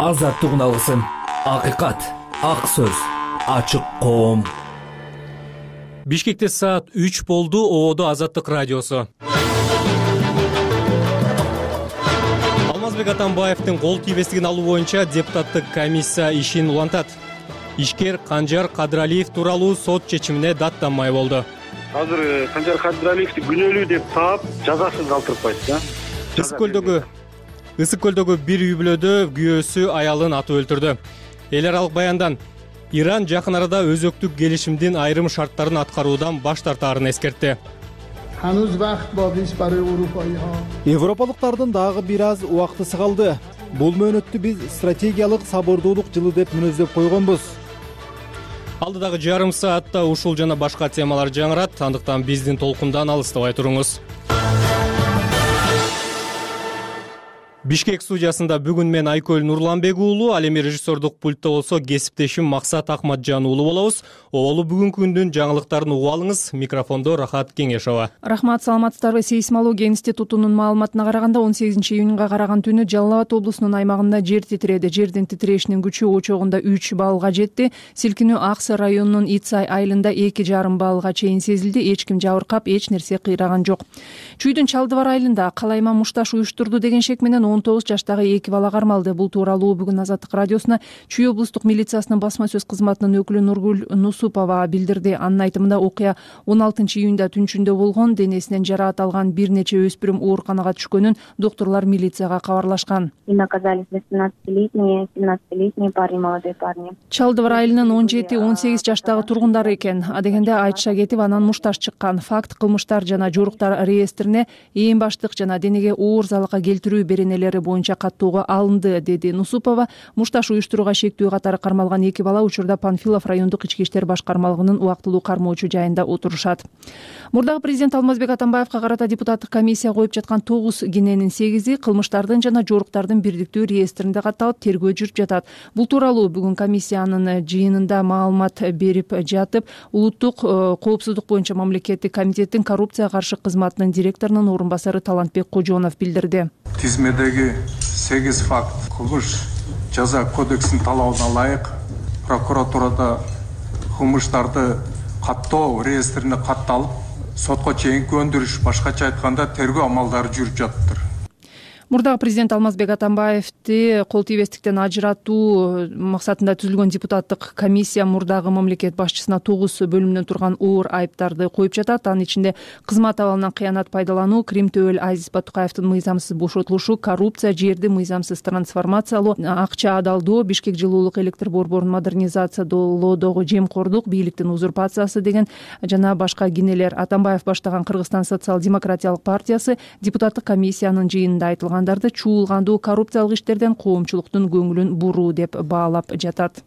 Азаттык үналысын, акыйкат, ак сөз, ачык коом. Бишкекте саат 3 болду. Ободо Азаттык радиосу. Алмазбек Атамбаевдин кол тийбестигин алуу боюнча депутаттык комиссия ишин улантат. Ишкер Канжар Кадыралиев тууралуу сот чечимине даттанмай болду. Азыр Канжар Кадыралиевди күнөөлүү деп таап, жазасын калтырып койду. Ысык көлдөгү бир үй бүлөдө күйөөсү аялын атып өлтүрдү. Эл аралык баяндан Иран жакын арада өзөктүк келишимдин айрым шарттарын аткаруудан баш тартаарын эскертти. Европалыктардын дагы бир аз убактысы калды. Бул мөөнөттү биз стратегиялык сабырдуулук жылы деп мүнөздөп койгонбуз. Алдыдагы жарым саатта ушул жана башка темалар жаңырат, андыктан биздин толкундан алыстабай туруңуз. Бишкек студиясында бүгүн мен Айкөл Нурланбек уулу, ал эми режиссердук пультта болсо кесиптешим Максат Акматжан уулу болобуз. Оболу бүгүнкү күндүн жаңылыктарын угуп алыңыз. Микрофондо Рахат Кеңешова. Рахмат, саламатсыздарбы? Сейсмология институтунун маалыматына караганда 18-июнга караган түнү Жалал Абад облусунун аймагында жер титиреди. Жердин титирешинин күчү очогунда 3 баллга жетти. Силкинүү Аксы районунун Ицай айылында 2,5 баллга чейин сезилди. Эч ким жабыркап, эч нерсе кыйраган жок. Чүйдүн Чалдыбар айылында калайма мушташ уюштурду деген шек менен 19 жаштагы 2 бала кармалды. Бул тууралуу бүгүн Азаттык радиосуна Чүй облустук милициясынын басма сөз кызматынын өкүлү Нургүл Нусупова билдирди. Анын айтымында окуя 16-июнда түнчүндө болгон. Денесинен жараат алган бир нече өспүрүм ооруканага түшкөнүн доктурлар милицияга кабарлашкан. Оказались 17-летний парни, молодой парни. Чалдыбар айылынын 17-18 жаштагы тургундары экен. Адегенде айтыша кетип, анан мушташ чыккан. Факт кылмыштар жана жоруктар реестрине ээн баштык жана денеге оор залалга келтирүү беренелери боюнча каттоого алынды, деди Нусупова. Мушташ уюштурууга шектүү катары кармалган 2 бала учурда Панфилов райондук ички иштер башкармалыгынын убактылуу кармоочу жайында отурушат. Мурдагы президент Алмазбек Атамбаевга карата депутаттык комиссия коюп жаткан 9 кененин 8-и кылмыштардын жана жоруктардын бирдиктүү реестринде катталып, тергөө жүрүп жатат. Бул тууралуу бүгүн комиссиянын жыйынында маалымат берип жатып, улуттук коопсуздук боюнча мамлекеттик комитеттин коррупцияга каршы кызматынын директорунун орун басары Талантбек Кожонов билдирди. Тизмедеги 8 факт кылмыш жаза кодексинин талабына ылайык прокуратурада кылмыштарды каттоо реестрине катталып, сотко чейинки өндүрүш, башкача айтканда тергөө амалдары жүрүп жатыптыр. Мурдагы президент Алмазбек Атамбаевди кол тийбестиктен ажыратуу максатында түзүлгөн депутаттык комиссия мурдагы мамлекет башчысына 9 бөлүмдөн турган оор айыптарды коюп жатат. Анын ичинде кызмат абалынан кыянат пайдалануу, Крим Төөл Азиз Батукаевдин мыйзамсыз бошотулушу, коррупция, жерди мыйзамсыз трансформациялоо, акча адалдоо, Бишкек жылуулук электр борборун модернизациялоодогу жемкордук, бийликтин узурпациясы деген жана башка кенелер. Атамбаев баштаган Кыргызстан социал-демократиялык партиясы депутаттык комиссиянын жыйынында айтылган чуулгандуу коррупциялык иштерден коомчулуктун көңүлүн буруу деп баалап жатат.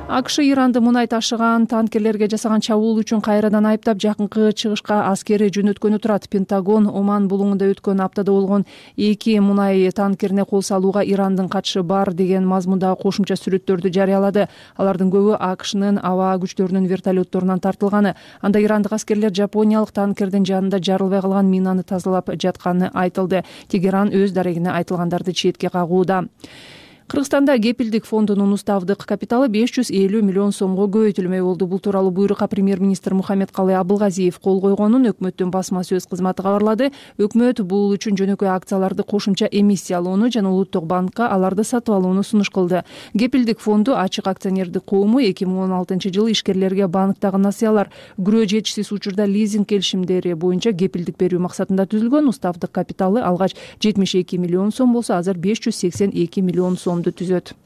АКШ Иранды мунай ташыган танкерлерге жасаган чабуул үчүн кайрадан айыптап, жакынкы чыгышка аскери жөнөткөнү турат. Пентагон Оман булуңунда өткөн аптада болгон 2 мунай танкерине кол салууга Ирандын катышы бар деген мазмундагы кошумча сүрөттөрдү жарыялады. Алардын көбү АКШнын аба күчтөрүнүн вертолетторунан тартылганы. Анда ирандык аскерлер жапониялык танкердин жанында жарылбай калган минаны тазалап жатканы айтылды. Тегеран өз дарегине айтылгандарды четке кагууда. Кыргызстанда кепилдик фондунун уставдык капиталы 550 миллион сомго көбөйтүлмөй болду. Бул тууралуу буйрукка премьер-министр Мухаммедкалый Абылгазиев кол койгонун өкмөттүн басма сөз кызматы кабарлады. Өкмөт бул үчүн жөнөкөй акцияларды кошумча эмиссиялоону жана Улуттук банкка аларды сатып алууну сунуш кылды. Кепилдик фонду ачык акционердик коому 2016-жылы ишкерлерге банктагы насыялар, күрөө жетишсиз учурда лизинг келишимдери боюнча кепилдик берүү максатында түзүлгөн. Уставдык капиталы алгач 72 миллион сом болсо, азыр 582 миллион сом түзөт.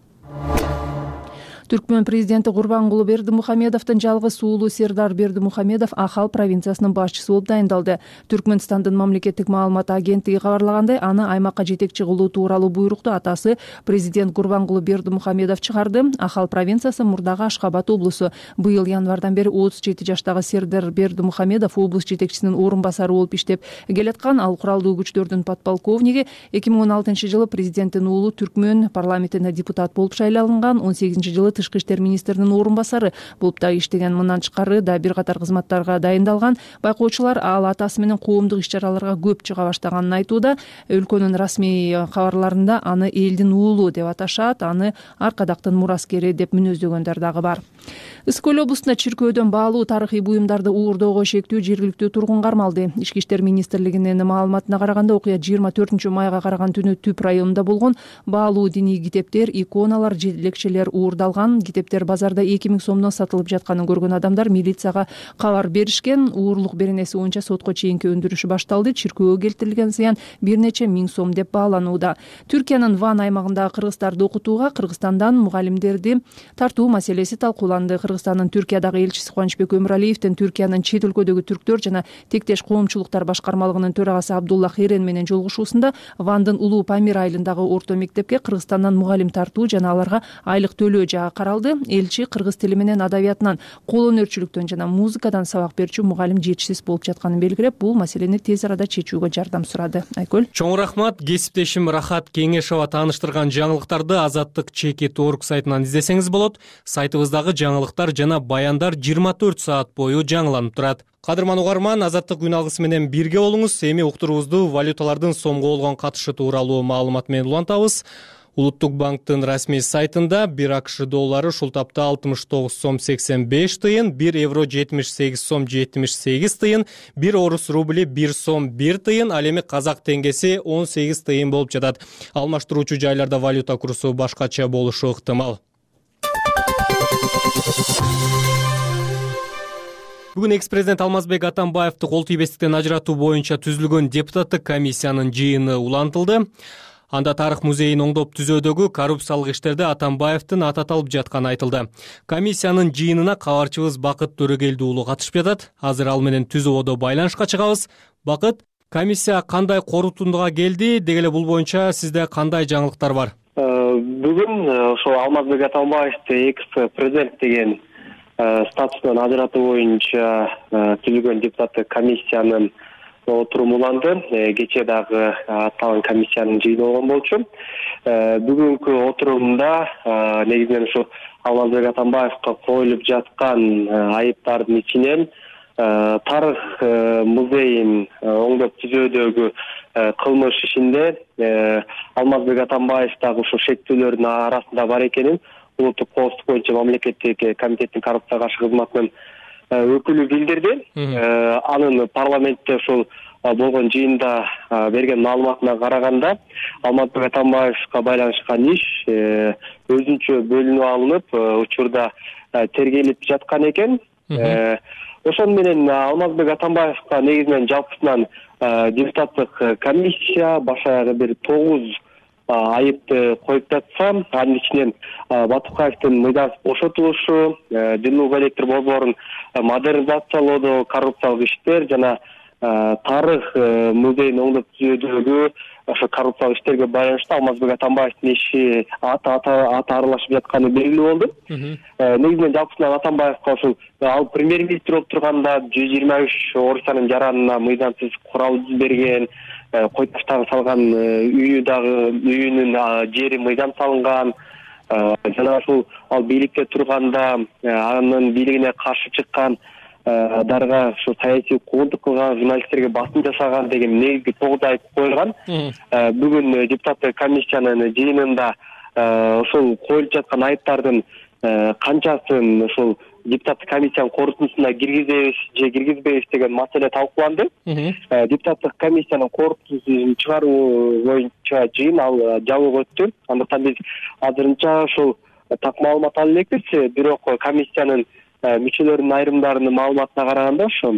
Түркмөн президенти Курбангулы Бердимухамедовдун жалгыз уулу Сердар Бердимухамедов Ахал провинциясынын башчысы болуп дайындалды. Түркмөнстандын мамлекеттик маалымат агенттиги кабарлагандай, аны аймакка жетекчи кылуу тууралуу буйрукту атасы президент Курбангулы Бердимухамедов чыгарды. Ахал провинциясы мурдагы Ашхабад облусу. Быйыл январдан бери 37 жаштагы Сердар Бердимухамедов облус жетекчисинин орун басары болуп иштеп келаткан. Ал куралдуу күчтөрдүн подполковниги. 2016-жылы президенттин уулу Түркмөн парламентине депутат болуп шайланган. 18-жылы тышкы иштер министринин орун басары болуп дагы иштеген. Мындан тышкары да бир катар кызматтарга дайындалган. Байкоочулар ал атасы менен коомдук иш-чараларга көп чыга баштаганын айтууда. Өлкөнүн расмий кабарларында аны элдин уулу деп аташат, аны аркадактын мураскери деп мүнөздөгөндөр дагы бар. Ысык Көл облусунда чиркөөдөн баалуу тарыхый буюмдарды уурдоого шектүү жергиликтүү тургун кармалды. Ички иштер министрлигинин маалыматына караганда, окуя 24-майга караган түнү Түп районунда болгон. Баалуу диний китептер, иконалар, лекчелер уурдалган. Китептер базарда 2000 сомдон сатылып жатканын көргөн адамдар милицияга кабар беришкен. Уурлук беренеси боюнча сотко чейинки өндүрүш башталды. Чиркөөгө келтирилген зыян бир нече миң сом деп бааланууда. Түркиянын Ван аймагындагы кыргызстарды окутууга Кыргызстандан мугалимдерди тартуу маселеси талкууланды. Кыргызстандын Түркиядагы элчиси Кубанычбек Өмүралиевдин Түркиянын чет өлкөдөгү түрктөр жана тектеш коомчулуктар башкармалыгынын төрагасы Абдулла Херен менен жолугушуусунда Вандын Улуу Памир айылындагы орто мектепке Кыргызстандан мугалим тартуу жана аларга айлык төлөө жагы каралды. Элчи кыргыз тили менен адабиятынан, кол өнөрчүлүктөн жана музыкадан сабак берүүчү мугалим жетишсиз болуп жатканын белгилеп, бул маселени тез арада чечүүгө жардам сурады. Айкөл. Чоң рахмат. Кесиптешим Рахат Кеңешова тааныштырган жаңылыктарды Азаттык Чекит.org сайтынан издесеңиз болот. Сайтыбыздагы жаңылыктар жана баяндар 24 саат бою жаңыланып турат. Кадырман угарман, Азаттык күн алгысы менен бирге болуңуз. Эми уктуруубузду валюталардын сомго болгон катышы тууралуу маалымат менен улантабыз. Улуттук банктын расмий сайтында 1 АКШ доллары ушул тапта 69 сом 85 тыйын, 1 евро 78 сом 78 тыйын, 1 орус рубли 1 сом 1 тыйын, ал эми казак теңгеси 18 тыйын болуп жатат. Алмаштыруучу жайларда валюта курсу башкача болушу ыктымал. Бүгүн экс-президент Алмазбек Атамбаевди кол тийбестиктен ажыратуу боюнча түзүлгөн депутаттык комиссиянын жыйыны улантылды. Анда тарых музейин оңдоп түзөөдөгү коррупциялык иштерде Атамбаевдин аты аталып жатканы айтылды. Комиссиянын жыйынына кабарчыбыз Бакыт Төрөгелди уулу катышып жатат. Азыр ал менен түз абада байланышка чыгабыз. Бакыт, комиссия кандай корутундуга келди? Деги эле бул боюнча сизде кандай жаңылыктар бар? Бүгүн ошол Алмазбек Атамбаевди экс-президент деген статусунан ажыратуу боюнча түзүлгөн депутаттык комиссиянын отуруму уланды. Кечээ дагы аталган комиссиянын жыйыны болгон болчу. Бүгүнкү отурумда негизинен ушу Алмазбек Атамбаевга коюлуп жаткан айыптардын ичинен тарых музейин оңдоп түзөөдөгү кылмыш ишинде Алмазбек Атамбаев дагы ушу шектүүлөрдүн арасында бар экенин улуттук коопсуздук боюнча мамлекеттик комитеттин коррупцияга каршы кызматынын өкүлү билдирди. Анын парламентте ушул болгон жыйында берген маалыматына караганда Алмазбек Атамбаевга байланышкан иш өзүнчө бөлүнүп алынып, учурда тергелип жаткан экен. Ошон менен Алмазбек Атамбаевга негизинен жалпысынан депутаттык комиссия баш аягы бир 9 айыпты коюп жатса, анын ичинен Батукаевдин мыйдансыз бошотулушу, жылуу электр борборун модернизациялоодо коррупциялык иштер жана тарых музейин оңдоп түзөөдөгү ошо коррупциялык иштерге байланыштуу Алмазбек Атамбаевдин иши аты аралашып жатканы белгилүү болду. Негизинен жалпысынан Атамбаевга ушул ал премьер-министр болуп турганда 123 орусиянын жаранына мыйдансыз курал берген, кой таштагы салган үйүнүн жери мыйдан салынган, жана ушул ал бийликте турганда анын бийлигине каршы чыккан дарга ушу саясий куугунтук кылган, журналисттерге басым жасаган деген негизги 9 айып коюлган. Бүгүн депутаттык комиссиянын жыйынында ушул коюлуп жаткан айыптардын канчасын ушул депутаттык комиссиянын корутундусуна киргизебиз же киргизбейбиз деген маселе талкууланды. Депутаттык комиссиянын корутундусун чыгаруу боюнча жыйын ал жабык өттү. Андыктан биз азырынча ушул так маалымат ала элекпиз. Бирок комиссиянын мүчөлөрүнүн айрымдарынын маалыматына караганда ошо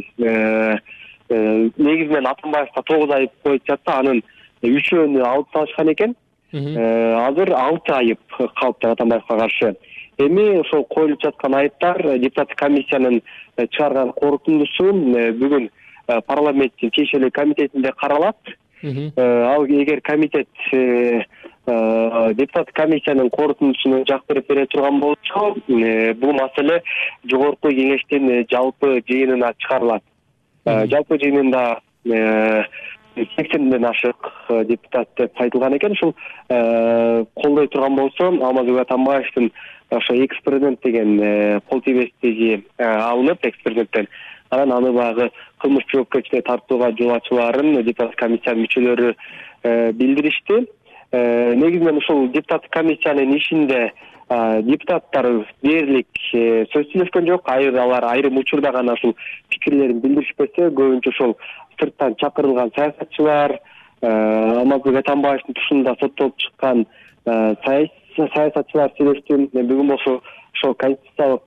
негизинен Атамбаевга 9 айып коюп жатса, анын 3-өөнү алып салышкан экен. Азыр 6 айып калыпты Атамбаевга каршы. Эми ошол коюлуп жаткан айыптар депутаттык комиссиянын чыгарган корутундусу бүгүн парламенттин тиешелүү комитетинде каралат. Ал эгер комитет депутаттык комиссиянын корутундусуна жак бере турган болсо, бул маселе жогорку кеңештин жалпы жыйынына чыгарылат. Жалпы жыйынында 80ден ашык депутат деп айтылган экен. Ушул колдой турган болсо Алмазбек Атамбаевдин ошо экс-президент деген кол тийбестиги алынып экс-президенттен, анан аны баягы кылмыш жоопкерчиликке тартууга жол ачууларын депутат комиссиянын мүчөлөрү билдиришти. Негизинен ушул депутаттык комиссиянын ишинде депутаттар дээрлик сөз сүйлөшкөн жок. Алар айрым учурда гана ушул пикирлерин билдиришпесе, көбүнчө ошол сырттан чакырылган саясатчылар, Алмазбек Атамбаевдин тушунда соттолуп чыккан саясатчылар сүйлөштү. Бүгүн болсо ошол Конституциялык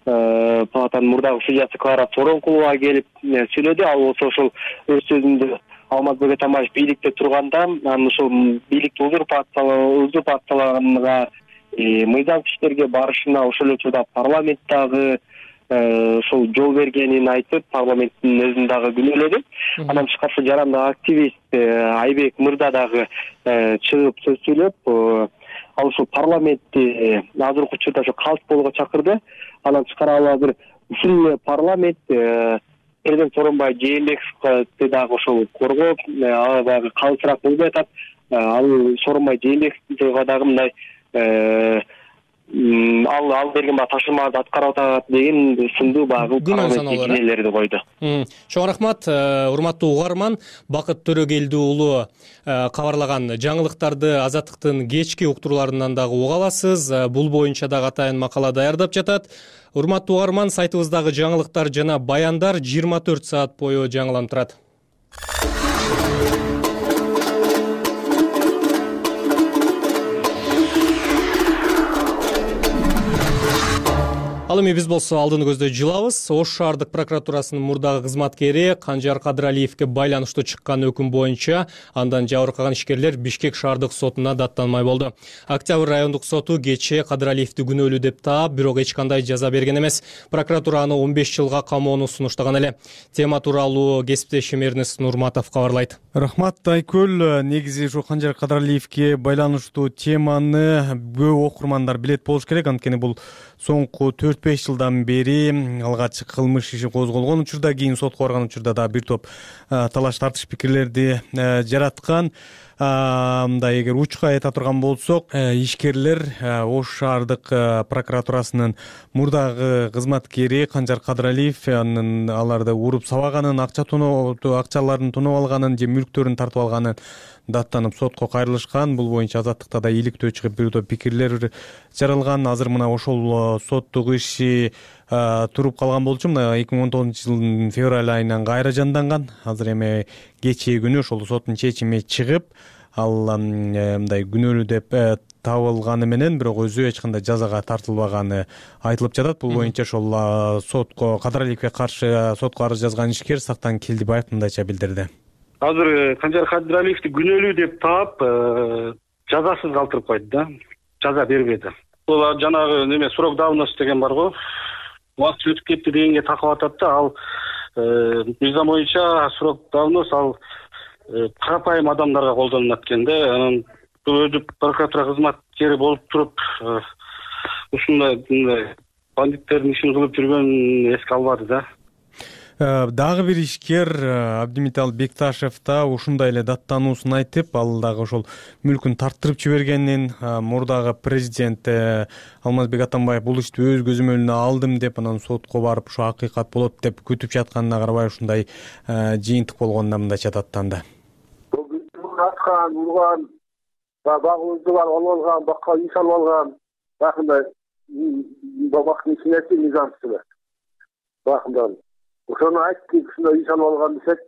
палатанын мурдагы судьясы Клара Соронкулова келип сүйлөдү. Ал болсо ошол өз сөзүндө Алмазбек Атамбаев бийликте турганда, анын ошол бийликти узурпациялаганга, мыйзам иштерге барышына, ошол учурда парламенттагы ошол жол бергенин айтып, парламенттин өзүн дагы күнөөлөдү. Андан тышкары жарандык активист Айбек Мырза дагы чыгып сөз сүйлөп, ал ушул парламентти азыркы учурда ошо калыс болууга чакырды. Андан тышкары ал азыр ушул парламент президент Сооронбай Жээнбековди дагы ошол коргоп, баягы калысыраак болбой атат. Ал Сооронбай Жээнбековго дагы мындай ал берген тапшырмаларды аткарып атат деген сындуу баягы күнөөлөрдү койду. Чоң рахмат, урматтуу угарман. Бакыт Төрөгелди уулу кабарлаган жаңылыктарды Азаттыктын кечки уктурууларынан дагы уга аласыз. Бул боюнча дагы атайын макала даярдап жатат. Урматтуу угарман, сайтыбыздагы жаңылыктар жана баяндар 24 саат бою жаңыланып турат. Ал эми биз болсо алдыны көздөй жылабыз. Ош шаардык прокуратурасынын мурдагы кызматкери Канжар Кадыралиевге байланыштуу чыккан өкүм боюнча андан жабыркаган ишкерлер Бишкек шаардык сотуна даттанмай болду. Октябрь райондук соту кечээ Кадыралиевди күнөөлүү деп таап, бирок эч кандай жаза берген эмес. Прокуратура аны 15 жылга камоону сунуштаган эле. Тема тууралуу кесиптешим Эрнест Нурматов кабарлайт. Рахмат Айкөл. Негизи ушу Канжар Кадыралиевге байланыштуу теманы көп окурмандар билет болуш керек, анткени бул соңку 4-5 жылдан бери алгач кылмыш иши козголгон учурда, кийин сотко барган учурда да бир топ талаш тартыш пикирлерди жараткан. Мындай эгер учка айта турган болсок, ишкерлер Ош шаардык прокуратурасынын мурдагы кызматкери Канжар Кадыралиев аларды уруп сабаганын, акчаларын тоноо алганын же мүлктөрүн тартып алганын даттанып сотко кайрылышкан. Бул боюнча Азаттыкта да иликтөө чыгып бир топ пикирлер жаралган. Азыр мына ошол соттук иши туруп калган болчу. Мына 2019 жылдын февраль айынан кайра жанданган. Азыр эми кечээ күнү ошол соттун чечими чыгып, ал мындай күнөөлүү деп табылганы менен бирок өзү эч кандай жазага тартылбаганы айтылып жатат. Бул боюнча ошол сотко Кадыралиевге каршы сотко арыз жазган ишкер Сактан Келдибаев мындайча билдирди. Азыр Канжар Кадыралиевди күнөөлүү деп таап, жазасыз калтырып койду да. Жаза бербеди. Бул жанагы неме срок давности деген бар го. Убакыт өтүп кетти дегенге такап атат да. Ал мыйзам боюнча срок давность ал карапайым адамдарга колдонулат экен да. Анан өзү прокуратура кызматкери болуп туруп ушундай бандиттердин ишин кылып жүргөнүн эске албады да. Дагы бир ишкер Абдимитал Бекташев да ушундай эле даттануусун айтып, ал дагы ошол мүлкүн тарттырып жибергенин, мурдагы президент Алмазбек Атамбаев бул ишти өз көзөмөлүнө алдым деп, анан сотко барып ушу акыйкат болот деп күтүп жатканына карабай ушундай жыйынтык болгонуна мындайча даттанды. Аткан, урган, багыбыздар алып алган, бакка иш алып алган, бакындай бабактын ичине мыйзамчылар. Бакындай ошону айтты, ушундай иш алып алган десек,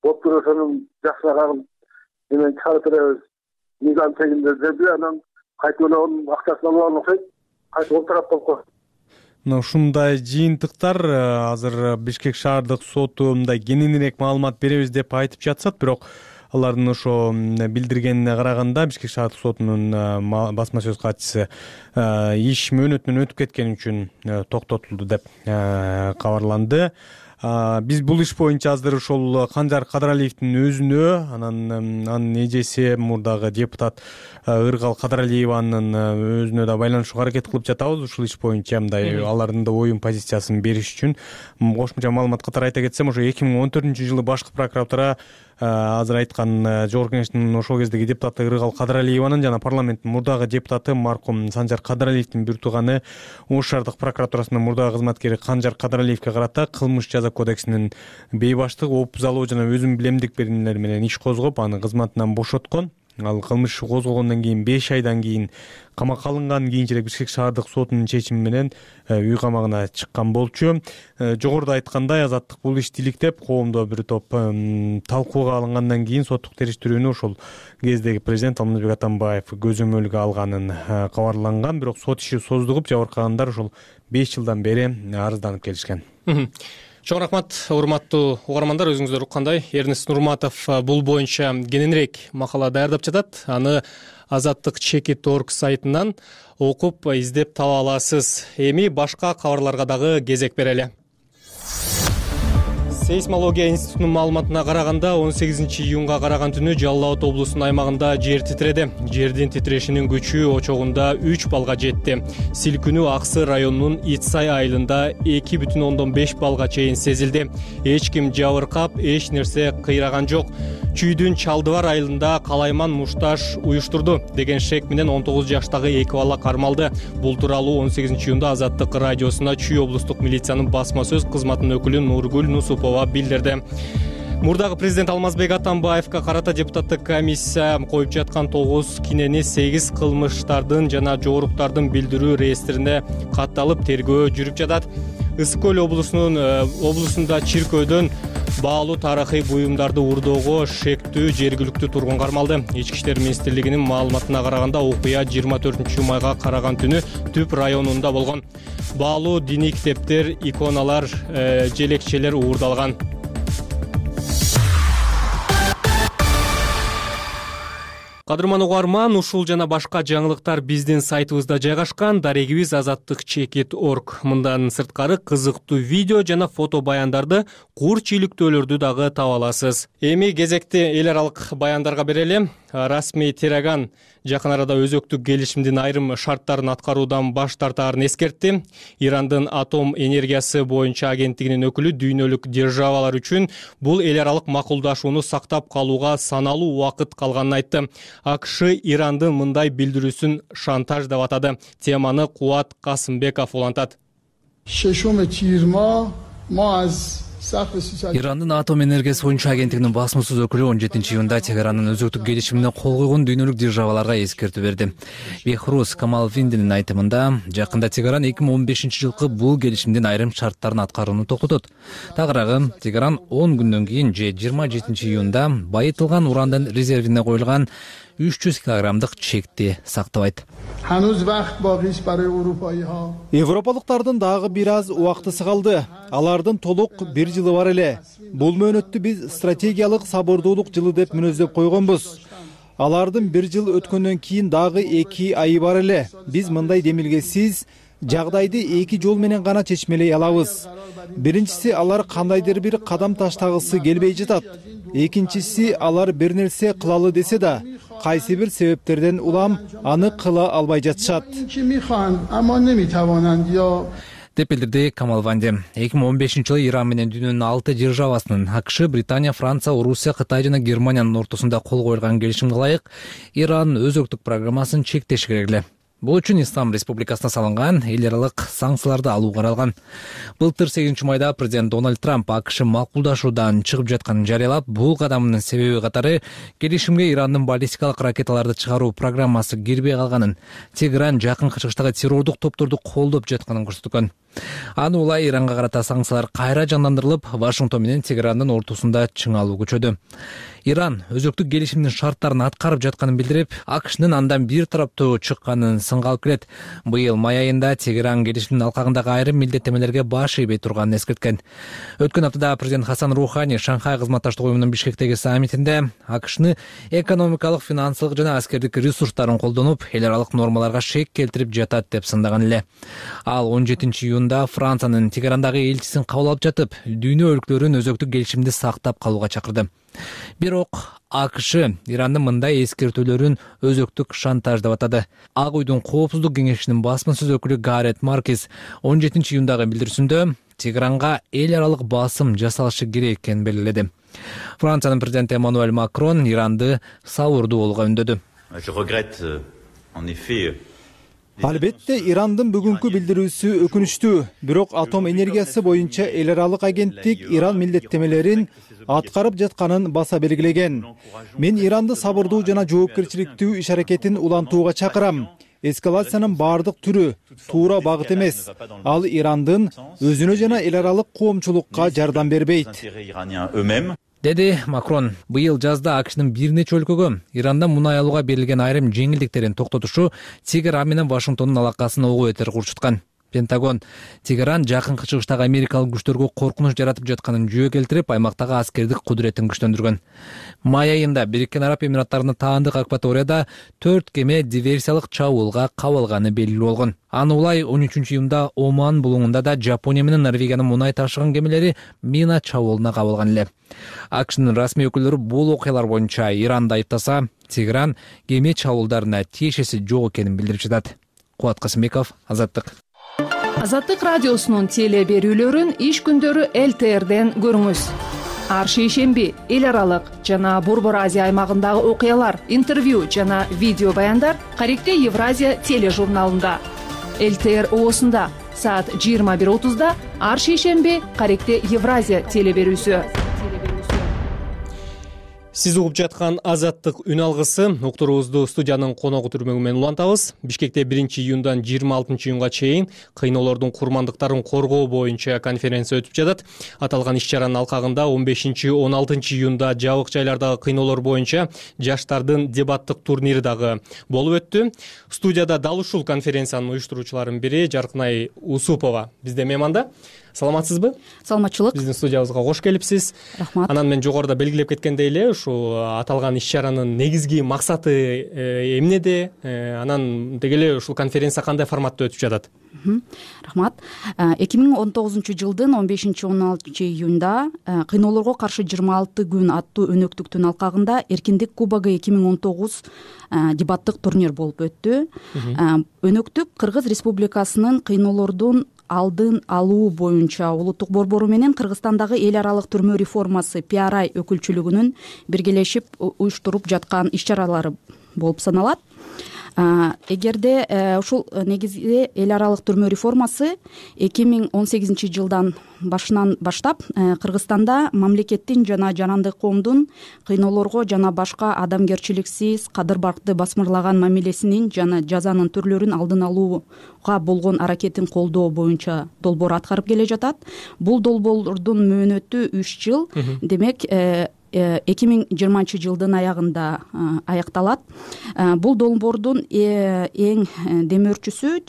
доктор ошонун жакшыраган менен чыгарып беребиз. Мыйзам чегинде деди, анан кайтып онун акчасын алып алып окшойт, кайтып ол тарап болуп калды. Ушундай жыйынтыктар азыр Бишкек шаардык соту мындай кененирээк маалымат беребиз деп айтып жатышат, бирок алардын ошо билдиргенине караганда Бишкек шаардык сотунун басма сөз катчысы иш мөөнөтүнөн өтүп кеткени үчүн токтотулду деп кабарланды. Биз бул иш боюнча азыр ошол Канжар Кадыралиевдин өзүнө, анын эжеси мурдагы депутат Ыргал Кадыралиеванын өзүнө да байланышууга аракет кылып жатабыз. Ушул иш боюнча мындай алардын да оюн позициясын бериш үчүн кошумча маалымат катары айта кетсем, ошо 2014 жылы башкы прокуратура азыр айткан жогорку кеңештин ошол кездеги депутаты Ыргал Кадыралиеванын жана парламенттин мурдагы депутаты маркум Санжар Кадыралиевдин бир тууганы Ош шаардык прокуратурасынын мурдагы кызматкери Канжар Кадыралиевге карата кылмыш жаза кодексинин бейбаштык, опузалоо жана өзүн билемдик берилмелер менен иш козгоп, аны кызматынан бошоткон. Ал кылмыш козголгондон кийин 5 айдан кийин камакка алынган, кийинчерээк Бишкек шаардык сотунун чечими менен үй камагына чыккан болчу. Жогоруда айткандай, азаттык бул ишти иликтеп, коомдо бир топ талкууга алынгандан кийин соттук териштирүүнү ошол кездеги президент Алмазбек Атамбаев көзөмөлгө алганын кабарланган. Бирок сот иши создугуп, жабыркагандар ошол 5 жылдан бери арызданып келишкен. Чоң рахмат, урматтуу угармандар. Өзүңүздөр уккандай, Эрнест Нурматов бул боюнча кененирээк макала даярдап жатат. Аны azattik.org сайтынан окуп, издеп таба аласыз. Эми башка кабарларга дагы кезек берели. Сейсмология институтунун маалыматына караганда 18-июнга караган түнү Жалал Абад облусунун аймагында жер титреди. Жердин титрешинин күчү очогунда 3 балга жетти. Силкүнүү Аксы районунун Итсай айылында 2,5 балга чейин сезилди. Эч ким жабыркап, эч нерсе кыйраган жок. Чүйдүн Чалдыбар айылында калайман мушташ уюштурду деген шек менен 19 жаштагы 2 бала кармалды. Бул тууралуу 18-июнда Азаттык радиосуна Чүй облустук милициянын басма сөз кызматынын өкүлү Нургүл Нусупова билдирди. Мурдагы президент Алмазбек Атамбаевга карата депутаттык комиссия коюп жаткан 9 кинени 8 кылмыштардын жана жоруктардын билдирүү реестрине катталып тергөө жүрүп жатат. Ысык көл облусунда чиркөөдөн баалуу тарыхый буюмдарды урдоого шектүү жергиликтүү тургун кармалды. Ички иштер министрлигинин маалыматына караганда окуя 24-майга караган түнү Түп районунда болгон. Баалуу диний китептер, иконалар, желекчелер уурдалган. Кадырман угарман, ушул жана башка жаңылыктар биздин сайтыбызда жайгашкан. Дарегибиз azattik.org. Мындан сырткары кызыктуу видео жана фото баяндарды, кур чийликтөөлөрдү дагы таба аласыз. Эми кезекти эл аралык баяндарга берели. Расмий Тераган жакын арада өзөктүк келишимдин айрым шарттарын аткаруудан баш тартаарын эскертти. Ирандын атом энергиясы боюнча агенттигинин өкүлү дүйнөлүк державалар үчүн бул эл аралык макулдашууну сактап калууга саналуу убакыт калганын айтты. АКШ Ирандын мындай билдирүүсүн шантаж деп атады. Теманы Кубат Касымбеков улантат. Ирандын атом энергиясы боюнча агенттигинин басма сөз өкүлү 17-июнда Тегеранын өзөктүк келишимине кол койгон дүйнөлүк державаларга эскертүү берди. Бехрус Камалвиндинин айтымында, жакында Тегеран 2015-жылкы бул келишимдин айрым шарттарын аткарууну токтотот. Тагыраагы, Тегеран 10 күндөн кийин же 27-июнда байытылган урандын резервине коюлган 300 килограммдык чекти сактабайт. Европалыктардын дагы бир аз убактысы калды. Алардын толук 1 жылы бар эле. Бул мөөнөттү биз стратегиялык сабырдуулук жылы деп мүнөздөп койгонбуз. Алардын 1 жыл өткөндөн кийин дагы 2 айы бар эле. Биз мындай демилгесиз жагдайды 2 жол менен гана чечмелей алабыз. Биринчиси, алар кандайдыр бир кадам таштагысы келбей жатат. Экинчиси, алар бир нерсе кылалы десе да, кайсы бир себептерден улам аны кыла албай жатышат деп билдирди Камалванди. 2015-жылы Иран менен дүйнөнүн 6 державасынын АКШ, Британия, Франция, Орусия, Кытай жана Германиянын ортосунда кол коюлган келишимге ылайык Иран өзөктүк программасын чектеши керек эле. Бул үчүн Ислам Республикасына салынган эл аралык санкцияларды алуу каралган. Былтыр 8-майда президент Дональд Трамп АКШ макулдашуудан чыгып жатканын жарыялап, бул кадамынын себеби катары келишимге Ирандын баллистикалык ракеталарды чыгаруу программасы кирбей калганын, Тегеран жакынкы чыгыштагы террордук топторду колдоп жатканын көрсөткөн. Аны улай Иранга карата санкциялар кайра жандандырылып, Вашингтон менен Тегерандын ортосунда чыңалуу күчөдү. Иран өзөктүк келишимдин шарттарын аткарып жатканын билдирип, АКШнын андан бир тараптуу чыкканын сынга алып келет. Быйыл май айында Тегеран келишимдин алкагындагы айрым милдеттемелерге баш ийбей турганын эскерткен. Өткөн аптада президент Хасан Рухани Шанхай кызматташтык уюмунун Бишкектеги саммитинде АКШны экономикалык, финансылык жана аскердик ресурстарын колдонуп, эл аралык нормаларга шек келтирип жатат деп сындаган эле. Ал 17-июнда Франциянын Тегерандагы элчисин кабыл алып жатып, дүйнө өлкөлөрүн өзөктүк келишимди сактап калууга чакырды. Бирок АКШ Ирандын мындай эскертүүлөрүн өзөктүк шантаж деп атады. Ак уйдун коопсуздук кеңешинин басма сөз өкүлү Гарет Маркес 17-июндагы билдирүүсүндө Тегеранга эл аралык басым жасалышы керек экенин белгиледи. Франциянын президенти Эммануэль Макрон Иранды сабырдуу болууга үндөдү. Албетте Ирандын бүгүнкү билдирүүсү өкүнүчтүү, бирок атом энергиясы боюнча эл аралык агенттик Иран милдеттемелерин аткарып жатканын баса белгилеген. Мен Иранды сабырдуу жана жоопкерчиликтүү иш аракетин улантууга чакырам. Эскалациянын баардык түрү туура багыт эмес. Ал Ирандын өзүнө жана эл аралык коомчулукка жардам бербейт, деди Макрон. Быйыл жазда АКШнын бир нече өлкөгө Ирандан мунай алууга берилген айрым жеңилдиктерин токтотушу Тегеран менен Вашингтондун алакасын ого бетер курчуткан. Пентагон Тегеран жакынкы чыгыштагы америкалык күчтөргө коркунуч жаратып жатканын жүйө келтирип, аймактагы аскердик кудуретін күчтөндүргөн. Май айында Бириккен Араб Эмираттарынын таандык акваторияда 4 кеме диверсиялык чабуулга кабылганы белгилүү болгон. Аны улай 13-июнда Оман булуңунда да Жапония менен Норвегиянын мунай ташыган кемелери мина чабуулуна кабылган эле. АКШнын расмий өкүлдөрү бул окуялар боюнча Иранды айыптаса, Тегеран кеме чабуулдарына тиешеси жок экенин билдирип жатат. Кубат Касымбеков, Азаттык. Азаттык радиосунун теле берүүлөрүн иш күндөрү ЛТРден көрүңүз. Ар шейшемби эл аралык жана Борбор Азия аймагындагы окуялар, интервью жана видео баяндар Каректе Евразия тележурналында. ЛТР оосунда саат 21:30 ар шейшемби Каректе Евразия теле берүүсү. Сиз угуп жаткан Азаттык үн алгысы. Уктуруубузду студиянын коногу түрмөгү менен улантабыз. Бишкекте 1-июндан 26-июнга чейин кыйноолордун курмандыктарын коргоо боюнча конференция өтүп жатат. Аталган иш-чаранын алкагында 15-16-июнда жабык жайлардагы кыйноолор боюнча жаштардын дебаттык турнири дагы болуп өттү. Студияда дал ушул конференциянын уюштуруучуларынын бири Жаркынай Усупова бизде мейманда. Саламатсызбы? Саламатчылык. Биздин студиябызга кош келипсиз. Рахмат. Анан мен жогоруда белгилеп кеткендей эле ушул аталган иш-чаранын негизги максаты эмнеде? Анан деги эле ушул конференция кандай форматта өтүп жатат? Рахмат. 2019-жылдын 15-16-июнда кыйноолорго каршы 26 күн аттуу өнөктүктүн алкагында Эркиндик кубогу 2019 дебаттык турнир болуп өттү. Өнөктүк Кыргыз Республикасынын кыйноолордун алдын алуу боюнча улуттук борбору менен Кыргызстандагы эл аралык түрмө реформасы PRI өкүлчүлүгүнүн биргелешип уюштуруп жаткан иш-чаралары болуп саналат. Эгерде ушул негизги эл аралык түрмө реформасы 2018-жылдан башынан баштап Кыргызстанда мамлекеттин жана жарандык коомдун кыйноолорго жана башка адамгерчиликсиз, кадыр-баркты басмырлаган мамилесинин жана жазанын түрлөрүн алдын алууга болгон аракетин колдоо боюнча долбоор аткарып келе жатат. Бул долбоордун мөөнөтү 3 жыл, демек 2020-жылдын аягында аякталат. Бул долбоордун эң демөөрчүсү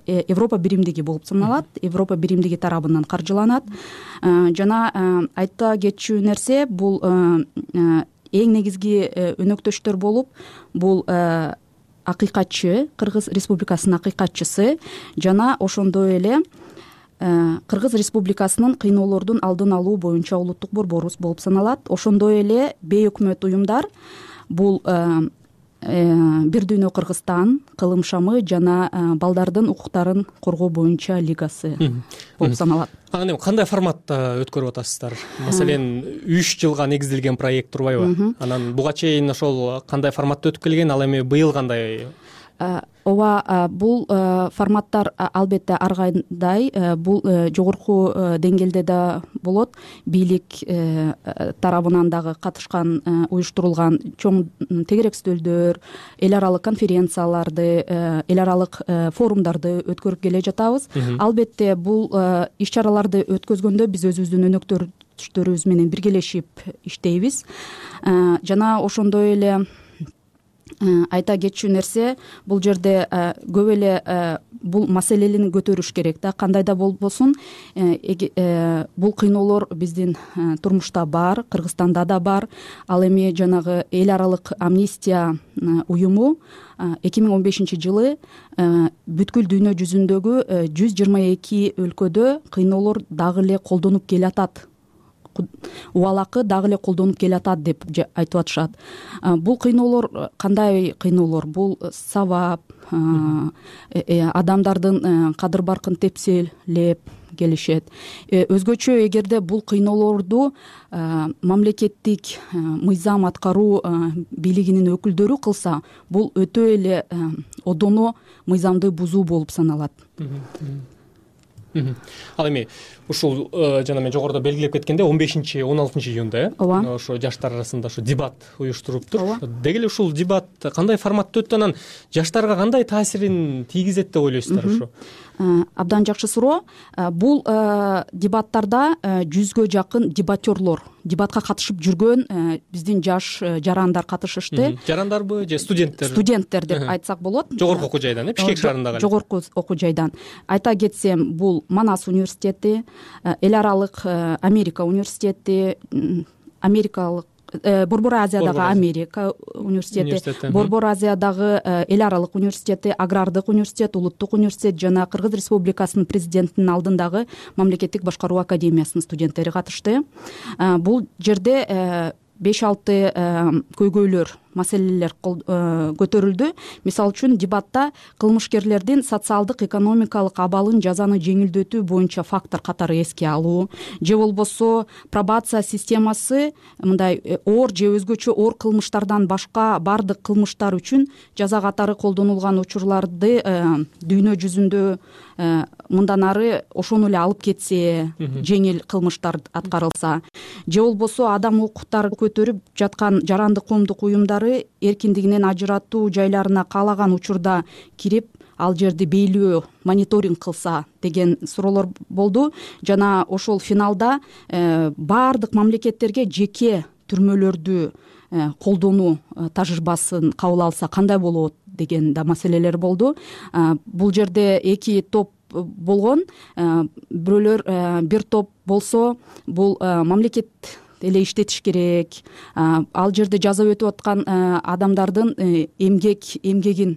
Европа биримдиги болуп саналат. Европа биримдиги тарабынан каржыланат. Жана айта кетчү нерсе, бул эң негизги өнөктөштөр болуп, бул акыйкатчы, Кыргыз Республикасынын акыйкатчысы жана ошондой эле Кыргыз Республикасынын кыйноолордун алдын алуу боюнча улуттук борборубуз болуп саналат. Ошондой эле бейөкмөт уюмдар, бул Бир дүйнө Кыргызстан, Кылым шамы жана балдардын укуктарын коргоо боюнча лигасы болуп саналат. Анан эми кандай форматта өткөрүп атасыздар? Маселен, 3 жылга негизделген проект турбайбы? Анан буга чейин ошол кандай форматта өтүп келген, ал эми быйыл кандай? Ооба, бул форматтар албетте ар кандай, бул жогорку деңгээлде да болот. Бийлик тарабынан дагы катышкан, уюштурулган чоң тегерек стөлдөр, эл аралык конференцияларды, эл аралык форумдарды өткөрүп келе жатабыз. Албетте бул иш-чараларды өткөзгөндө биз өзүбүздүн өнөктөштөрүбүз менен биргелешип иштейбиз. Жана ошондой эле айта кетчү нерсе, бул жерде көп эле бул маселени көтөрүш керек да, кандай да болбосун. Бул кыйноолор биздин турмушта бар, Кыргызстанда да бар. Ал эми жанагы эл аралык амнистия уюму 2015-жылы бүткүл дүйнө жүзүндөгү 122 өлкөдө кыйноолор дагы эле колдонуп келатат, убалакы дагы эле колдонуп келатат деп айтып атышат. Бул кыйноолор кандай кыйноолор? Бул сабап, адамдардын кадыр-баркын тепселеп, келишет. Өзгөчө эгерде бул кыйноолорду мамлекеттик мыйзам аткаруу бийлигинин өкүлдөрү кылса, бул өтө эле одоно мыйзамды бузуу болуп саналат. Ал эми ушул жана мен жогоруда белгилеп кеткендей 15-16 июнда ооба ошо жаштар арасында ошо дебат уюштуруптур. Деги эле ушул дебат кандай форматта өттү, анан жаштарга кандай таасирин тийгизет деп ойлойсуздар? Ошо абдан жакшы суроо. Бул дебаттарда 100гө жакын дебатерлор, дебатка катышып жүргөн биздин жаш жарандар катышышты. Жарандарбы же студенттер? Студенттер деп айтсак болот. Жогорку окуу жайдан, Бишкек шаарындагы. Жогорку окуу жайдан. Айта кетсем, бул Манас университети, эл аралык Америка университети, америкалык Борбор Азиядагы Америка университети, Борбор Азиядагы эл аралык университети, Агрардык университет, Улуттук университет жана Кыргыз Республикасынын президентинин алдындагы Мамлекеттик башкаруу академиясынын студенттери катышты. Бул жерде 5-6 көйгөйлөр, маселелер көтөрүлдү. Мисалы үчүн дебатта кылмышкерлердин социалдык, экономикалык абалын, жазаны жеңилдетүү боюнча фактор катары эске алуу, же болбосо пробация системасы мындай оор же өзгөчө оор кылмыштардан башка бардык кылмыштар үчүн жаза катары колдонулган учурларды дүйнө жүзүндө мындан ары ошону эле алып кетсе, жеңил кылмыштар аткарылса, же болбосо адам укуктарын көтөрүп жаткан жарандык коомдук уюмдар эркиндигинен ажыратуу жайларына каалаган учурда кирип, ал жерди бейлөө, мониторинг кылса деген суроолор болду. Жана ошол финалда баардык мамлекеттерге жеке түрмөлөрдү колдонуу тажрыйбасын кабыл алса кандай болот деген да маселелер болду. Бул жерде эки топ болгон. Бирөөлөр бир топ болсо, бул мамлекет эле иштетиш керек, ал жерде жаза өтүп аткан адамдардын эмгегин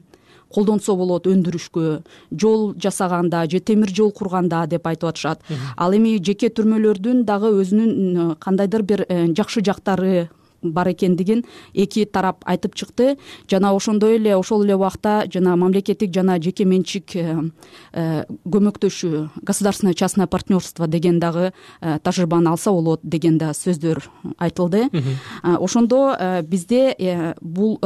колдонсо болот өндүрүшкө, жол жасаганда же темир жол курганда деп айтып атышат. Ал эми жеке түрмөлөрдүн дагы өзүнүн кандайдыр бир жакшы жактары бар экендигин эки тарап айтып чыкты. Жана ошондой эле ошол эле убакта жана мамлекеттик жана жеке менчик көмөктөшүү, государственное частное партнерство деген дагы тажрыйбаны алса болот деген да сөздөр айтылды. Ошондо бизде бул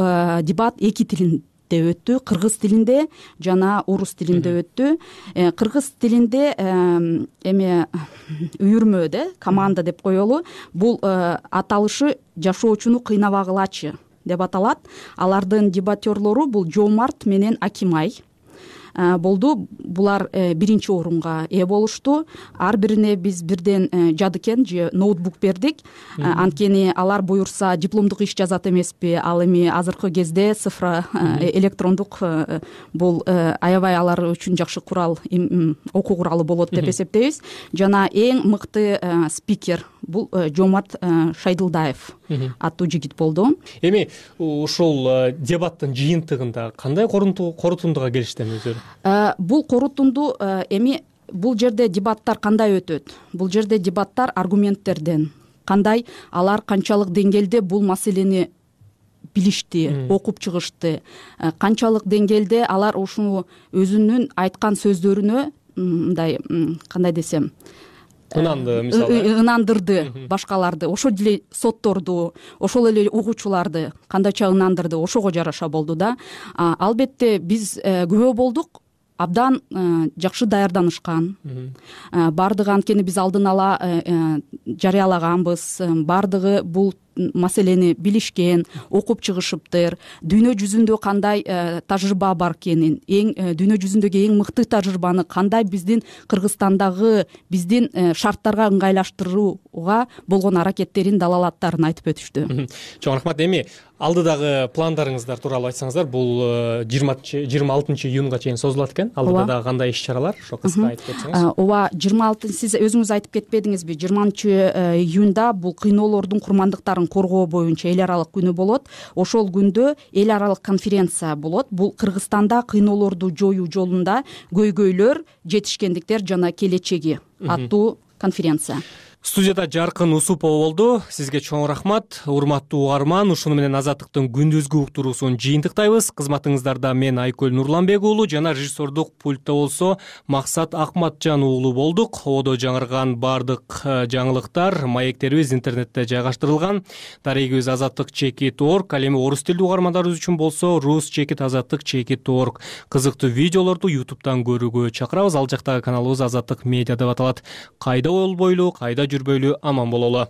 дебат эки тилинде өттү, кыргыз тилинде жана орус тилинде өттү. Кыргыз тилинде эме үйүрмө команда деп коелу. Бул аталышы жашоочуну кыйнабагылачы деп аталат. Алардын дебатерлору бул Жомарт менен Акимай болду. Булар биринчи орунга ээ болушту. Ар бирине биз бирден жадыкен же ноутбук бердик. Анткени алар буюрса дипломдук иш жазат эмеспи. Ал эми азыркы кезде цифра электрондук бул аябай алар үчүн жакшы курал, окуу куралы болот деп эсептейбиз. Жана эң мыкты спикер бул Жомарт Шайдылдаев аттуу жигит болду. Эми ушул дебаттын жыйынтыгында кандай корутундуга келиштиң өзүлөр? Бул корутунду эми бул жерде дебаттар кандай өтөт? Бул жерде дебаттар аргументтерден, кандай алар канчалык деңгээлде бул маселени билишти, окуп чыгышты, канчалык деңгээлде алар ушуну өзүнүн айткан сөздөрүнө мындай кандай десем ынанды, мисалы ынандырды башкаларды, ошол эле сотторду, ошол эле угуучуларды кандайча ынандырды, ошого жараша болду да. Албетте биз күбө болдук, абдан жакшы даярданышкан. Бардыгы анткени биз алдын ала жарыялаганбыз, бардыгы бул маселени билишкен, окуп чыгышыптыр. Дүйнө жүзүндө кандай тажрыйба бар экенин, дүйнө жүзүндөгү эң мыкты тажрыйбаны кандай биздин Кыргызстандагы биздин шарттарга ыңгайлаштырууга болгон аракеттерин, далалаттарын айтып өтүштү. Чоң рахмат. Эми алдыдагы пландарыңыздар тууралуу айтсаңыздар, бул 26 июнга чейин созулат экен. Алдыда дагы кандай иш-чаралар, ошо кыска айтып кетсеңиз. Ооба, 26 сиз өзүңүз айтып кетпедиңизби? 20 июнда бул кыйноолордун курмандыктарын коргоо боюнча эл аралык күнү болот. Ошол күндө эл аралык конференция болот. Бул Кыргызстанда кыйноолорду жоюу жолунда көйгөйлөр, жетишкендиктер жана келечеги аттуу конференция. Студияда Жаркын Усупова болду. Сизге чоң рахмат. Урматтуу угарман, ушуну менен Азаттыктын күндүзгү уктуруусун жыйынтыктайбыз. Кызматыңыздарда мен Айкөл Нурланбек уулу жана режиссердук пультта болсо Максат Акматжан уулу болдук. Одо жаңырган бардык жаңылыктар, маектерибиз интернетте жайгаштырылган. Дарегибиз azattik.org, ал эми орус тилдүү угармандарыбыз үчүн болсо rus.azattik.org. Кызыктуу видеолорду YouTube'дан көрүүгө чакырабыз. Ал жактагы каналыбыз Азаттык медиа деп аталат. Кайда болбойлу, кайда жүрбөйлү аман бололу.